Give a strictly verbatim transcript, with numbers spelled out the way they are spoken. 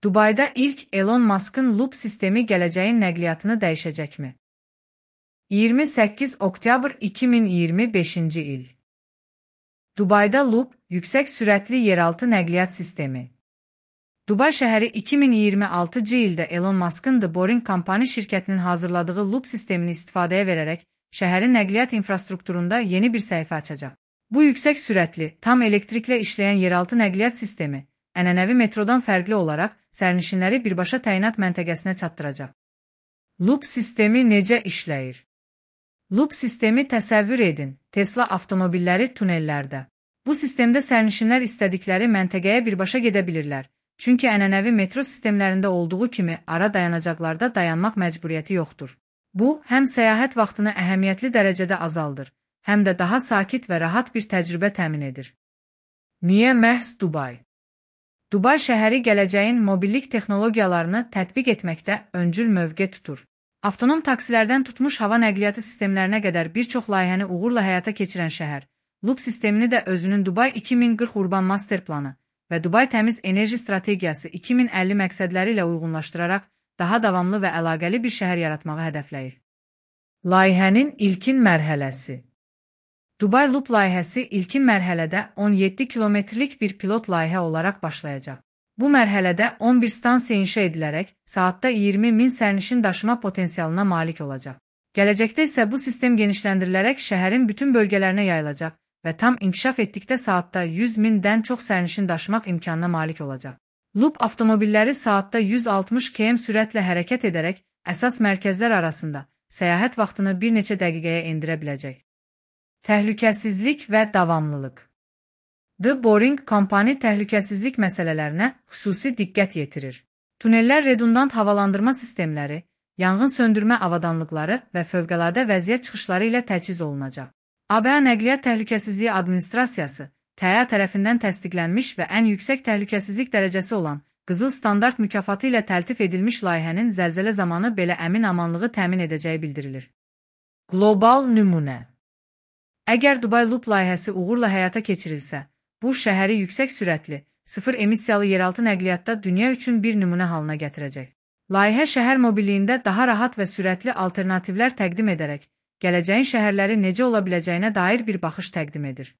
Dubayda ilk Elon Musk'ın Loop sistemi gələcəyin nəqliyyatını dəyişəcəkmi? iyirmi səkkiz oktyabr iki min iyirmi beşinci il. Dubayda Loop, yüksək sürətli yeraltı nəqliyyat sistemi. Dubay şəhəri iki min iyirmi altıncı ildə Elon Musk'ın The Boring Company şirkətinin hazırladığı Loop sistemini istifadəyə verərək şəhərin nəqliyyat infrastrukturunda yeni bir səhifə açacaq. Bu yüksək sürətli, tam elektriklə işləyən yeraltı nəqliyyat sistemi, ənənəvi metrodan fərqli olaraq sərnişinləri birbaşa təyinat məntəqəsinə çatdıracaq. Loop sistemi necə işləyir? Loop sistemi təsəvvür edin, Tesla avtomobilləri tunellərdə. Bu sistemdə sərnişinlər istədikləri məntəqəyə birbaşa gedə bilirlər, çünki ənənəvi metro sistemlərində olduğu kimi ara dayanacaqlarda dayanmaq məcburiyyəti yoxdur. Bu, həm səyahət vaxtını əhəmiyyətli dərəcədə azaldır, həm də daha sakit və rahat bir təcrübə təmin edir. Niyə məhz Dubay? Dubay şəhəri gələcəyin mobillik texnologiyalarını tətbiq etməkdə öncül mövqe tutur. Avtonom taksilərdən tutmuş hava nəqliyyatı sistemlərinə qədər bir çox layihəni uğurla həyata keçirən şəhər, Loop sistemini də özünün Dubay iki min qırx Urban Master Planı və Dubay Təmiz Enerji Strategiyası iki min əlli məqsədləri ilə uyğunlaşdıraraq daha davamlı və əlaqəli bir şəhər yaratmağı hədəfləyir. Layihənin ilkin mərhələsi. Dubay Loop layihəsi ilkin mərhələdə on yeddi kilometrlik bir pilot layihə olaraq başlayacaq. Bu mərhələdə on bir stansiya inşa edilərək saatda iyirmi min sərnişin daşıma potensialına malik olacaq. Gələcəkdə isə bu sistem genişləndirilərək şəhərin bütün bölgələrinə yayılacaq və tam inkişaf etdikdə saatda yüz mindən çox sərnişin daşımaq imkanına malik olacaq. Loop avtomobilləri saatda yüz altmış kilometr sürətlə hərəkət edərək əsas mərkəzlər arasında səyahət vaxtını bir neçə dəqiqəyə endirə biləcək. Təhlükəsizlik və davamlılıq. The Boring Company təhlükəsizlik məsələlərinə xüsusi diqqət yetirir. Tunellər redundant havalandırma sistemləri, yanğın söndürmə avadanlıqları və fövqəladə vəziyyət çıxışları ilə təchiz olunacaq. A B A Nəqliyyat Təhlükəsizliyi Administrasiyası, T A tərəfindən təsdiqlənmiş və ən yüksək təhlükəsizlik dərəcəsi olan Qızıl Standart mükafatı ilə təltif edilmiş layihənin zəlzələ zamanı belə əmin amanlığı təmin edəcəyi bildirilir. Qlobal nümunə. Əgər Dubay Loop layihəsi uğurla həyata keçirilsə, bu şəhəri yüksək sürətli, sıfır emissiyalı yeraltı nəqliyyatda dünya üçün bir nümunə halına gətirəcək. Layihə şəhər mobilliyində daha rahat və sürətli alternativlər təqdim edərək, gələcəyin şəhərləri necə ola biləcəyinə dair bir baxış təqdim edir.